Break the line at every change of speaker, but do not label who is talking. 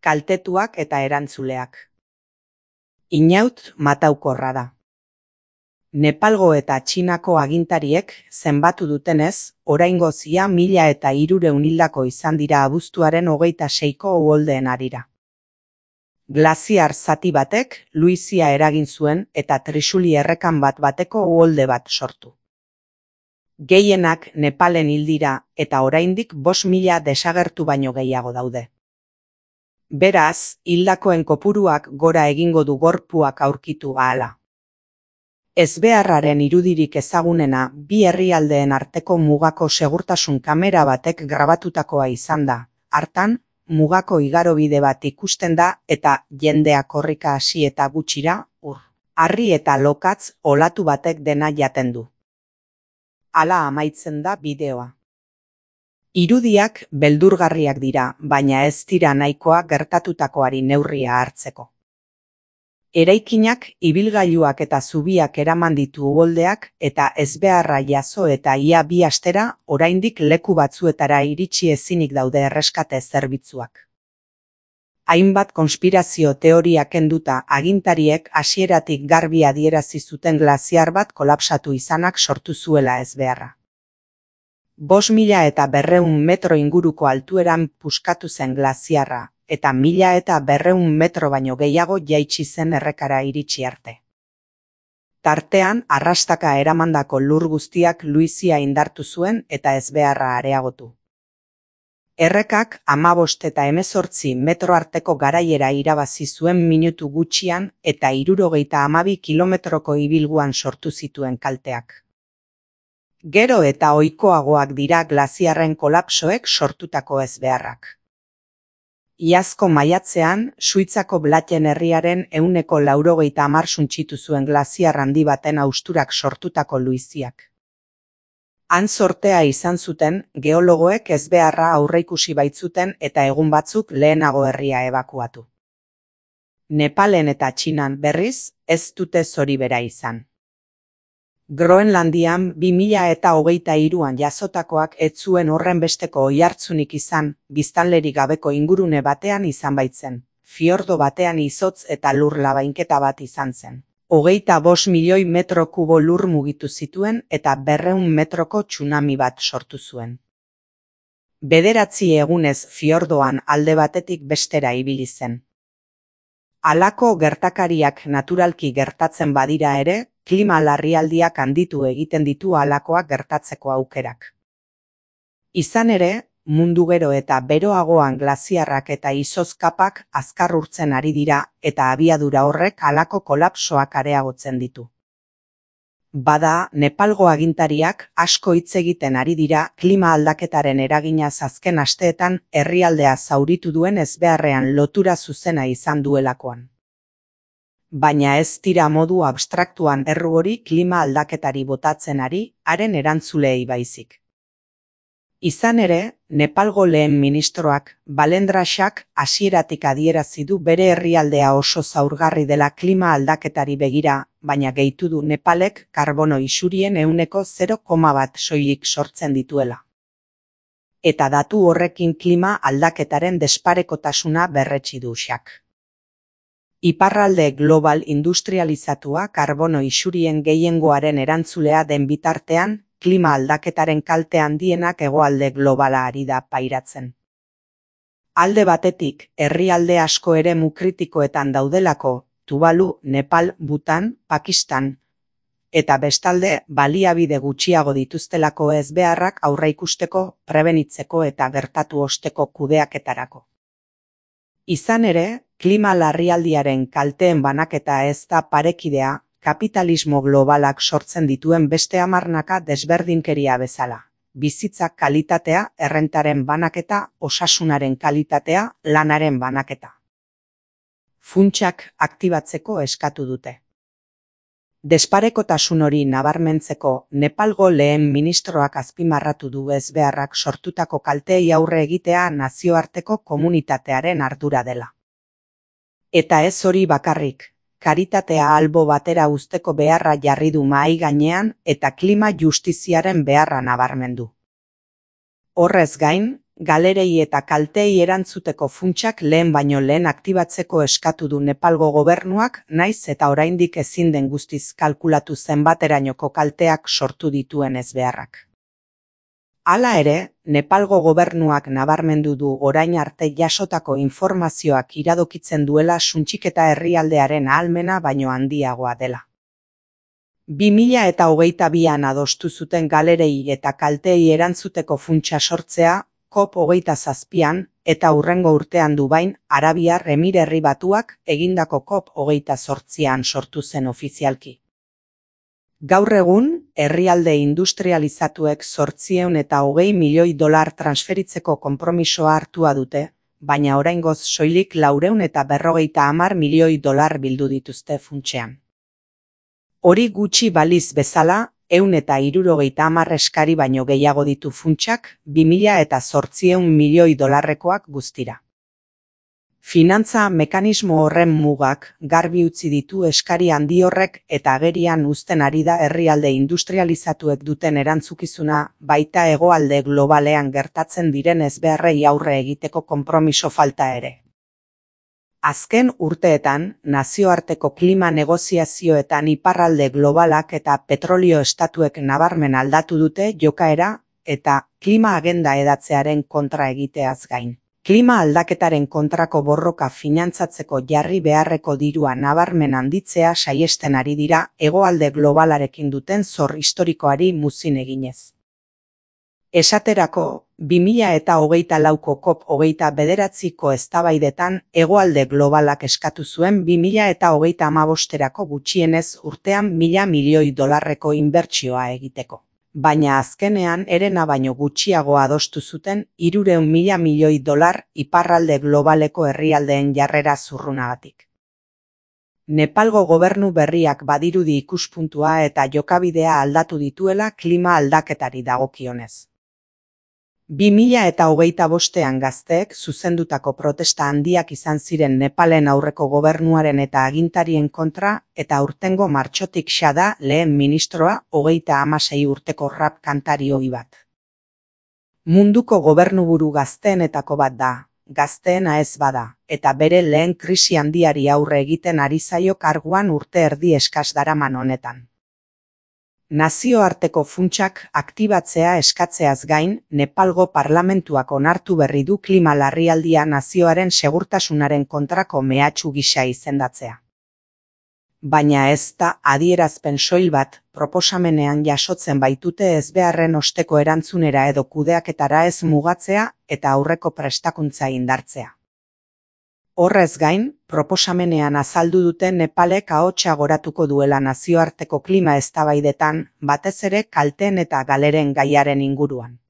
kaltetuak eta erantzuleak. Inaut mataukorra da. Nepalgo eta Txinako agintariek zenbatu dutenez, oraingoz ia 1300 hildako izan dira abuztuaren 26ko uholdeen harira. Glaziar zati batek luizia eragin zuen eta trisuli errekan bateko uholde bat sortu. Gehienak Nepalen hil dira eta oraindik 5.000 desagertu baino gehiago daude. Beraz, hildakoen kopuruak gora egingo du gorpuak aurkitu ahala. Ezbeharraren irudirik ezagunena bi herrialdeen arteko mugako segurtasun kamera batek grabatutakoa izan da. Hartan, mugako igarobide bat ikusten da eta jendea korrika hasi eta gutxira, harri eta lokatz olatu batek dena jaten du. Hala amaitzen da bideoa. Irudiak beldurgarriak dira, baina ez dira nahikoa gertatutakoari neurria hartzeko. Eraikinak, ibilgailuak eta zubiak eraman ditu uholdeak eta ezbeharra jazo eta ia 2 astera oraindik leku batzuetara iritsi ezinik daude erreskate zerbitzuak. Hainbat konspirazio teoria kenduta agintariek hasieratik garbi adierazi zuten glaziar bat kolapsatu izanak sortu zuela ezbeharra. 5.200 metro inguruko altueran puskatu zen glaziarra, eta 1.200 metro baino gehiago jaitsi zen errekara iritsi arte. Tartean, arrastaka eramandako lur guztiak luizia indartu zuen eta ezbeharra areagotu. Errekak 15 eta 18 metro arteko garaiera irabazi zuen minutu gutxian eta 72 kilometroko ibilguan sortu zituen kalteak. Gero eta ohikoagoak dira glaziarren kolapsoek sortutako ezbeharrak. Iazko maiatzean, Suitzako Blatten herriaren 190 suntsitu zuen glaziar handi baten hausturak sortutako luiziak. Han sortea izan zuten, geologoek ezbeharra aurreikusi baitzuten eta egun batzuk lehenago herria ebakuatu. Nepalen eta Txinan berriz, ez dute zori bera izan. Groenlandian 2023an jasotakoak ez zuen horren besteko oihartzunik izan, biztanlerik gabeko ingurune batean izan baitzen, fiordo batean izotz eta lur labainketa bat izan zen. 25 milioi metro kubo lur mugitu zituen eta 200 metroko tsunami bat sortu zuen. 9 egunez fiordoan alde batetik bestera ibili zen. Halako gertakariak naturalki gertatzen badira ere, klima larrialdiak handitu egiten ditu halakoak gertatzeko aukerak. Izan ere, mundu gero eta beroagoan glaziarrak eta izozkapak azkar urtzen ari dira eta abiadura horrek halako kolapsoak areagotzen ditu. Bada, Nepalgo agintariak asko hitz egiten ari dira klima aldaketaren eraginaz azken asteetan herrialdea zauritu duen ezbeharrean lotura zuzena izan duelakoan. Baina ez dira modu abstraktuan erru hori klima aldaketari botatzen ari, haren erantzulei baizik. Izan ere, Nepalgo lehen ministroak, Balendrasak hasieratik adierazi du bere herrialdea oso zaurgarri dela klima aldaketari begira, baina gehitu du Nepalek karbono isurien 0,1 soilik sortzen dituela. Eta datu horrekin klima aldaketaren desparekotasuna berretsi du xak. Iparralde global industrializatua karbono isurien gehiengoaren erantzulea den bitartean, klima aldaketaren kalte handienak hegoalde globala ari da pairatzen. Alde batetik, herrialde asko eremu kritikoetan daudelako, Tuvalu, Nepal, Bhutan, Pakistan, eta bestalde baliabide gutxiago dituztelako ezbeharrak aurreikusteko, prebenitzeko eta gertatu osteko kudeaketarako. Izan ere, klima larrialdiaren kalteen banaketa ez da parekidea, kapitalismo globalak sortzen dituen beste hamarnaka desberdinkeria bezala. Bizitzak kalitatea, errentaren banaketa, osasunaren kalitatea, lanaren banaketa. Funtsak aktibatzeko eskatu dute. Desparekotasun hori nabarmentzeko, Nepalgo lehen ministroak azpimarratu du ezbeharrak sortutako kalteei aurre egitea nazioarteko komunitatearen ardura dela. Eta ez hori bakarrik, karitatea albo batera uzteko beharra jarri du mahai gainean eta klima justiziaren beharra nabarmendu. Horrez gain, galerei eta kalteei erantzuteko funtsak lehen baino lehen aktibatzeko eskatu du Nepalgo gobernuak, naiz eta oraindik ezin den guztiz kalkulatu zenbaterainoko kalteak sortu dituen ezbeharrak. Hala ere, Nepalgo gobernuak nabarmendu du orain arte jasotako informazioak iradokitzen duela suntsiketa herrialdearen ahalmena baino handiagoa dela. 2022an adostu zuten galerei eta kalteei erantzuteko funtsa sortzea, COP27an, eta hurrengo urtean Dubain, Arabiar Emirerri Batuak egindako COP28an sortu zen ofizialki. Gaur egun, herrialde industrializatuek 820 milioi dolar transferitzeko konpromisoa hartua dute, baina oraingoz soilik 450 milioi dolar bildu dituzte funtsean. Hori gutxi baliz bezala, 170 eskari baino gehiago ditu funtsak, 2800 milioi dolarrekoak guztira. Finantza mekanismo horren mugak garbi utzi ditu eskari handi horrek eta agerian uzten ari da herrialde industrializatuek duten erantzukizuna, baita hegoalde globalean gertatzen diren ezbeharrei aurre egiteko konpromiso falta ere. Azken urteetan, nazioarteko klima negoziazioetan iparralde globalak eta petrolio estatuek nabarmen aldatu dute jokaera eta klima agenda edatzearen kontra egiteaz gain. Klima aldaketaren kontrako borroka finantzatzeko jarri beharreko dirua nabarmen handitzea saihesten ari dira hegoalde globalarekin duten zor historikoari muzin eginez. Esaterako, 2024ko COP29ko eztabaidetan hegoalde globalak eskatu zuen 2035erako gutxienez urtean 1000 milioi dolarreko inbertsioa egiteko. Baina azkenean herena baino gutxiago adostu zuten 300.000 milioi dolar iparralde globaleko herrialdeen jarrera zurrunagatik. Nepalgo gobernu berriak badirudi ikuspuntua eta jokabidea aldatu dituela klima aldaketari dagokionez. 2025an gazteek zuzendutako protesta handiak izan ziren Nepalen aurreko gobernuaren eta agintarien kontra eta aurtengo martxotik da lehen ministroa 36 urteko rap kantari ohi bat. Munduko gobernuburu gazteenetako bat da, gazteena ez bada, eta bere lehen krisi handiari aurre egiten ari zaio karguan urte erdi eskas daraman honetan. Nazioarteko funtsak aktibatzea eskatzeaz gain, Nepalgo parlamentuak onartu berri du klima larrialdia nazioaren segurtasunaren kontrako mehatxu gisa izendatzea. Baina ez da adierazpen soil bat, proposamenean jasotzen baitute ezbeharren osteko erantzunera edo kudeaketara ez mugatzea eta aurreko prestakuntza indartzea. Horrez gain, proposamenean azaldu dute Nepalek ahotsa goratuko duela nazioarteko klima eztabaidetan, batez ere kalteen eta galeren gaiaren inguruan.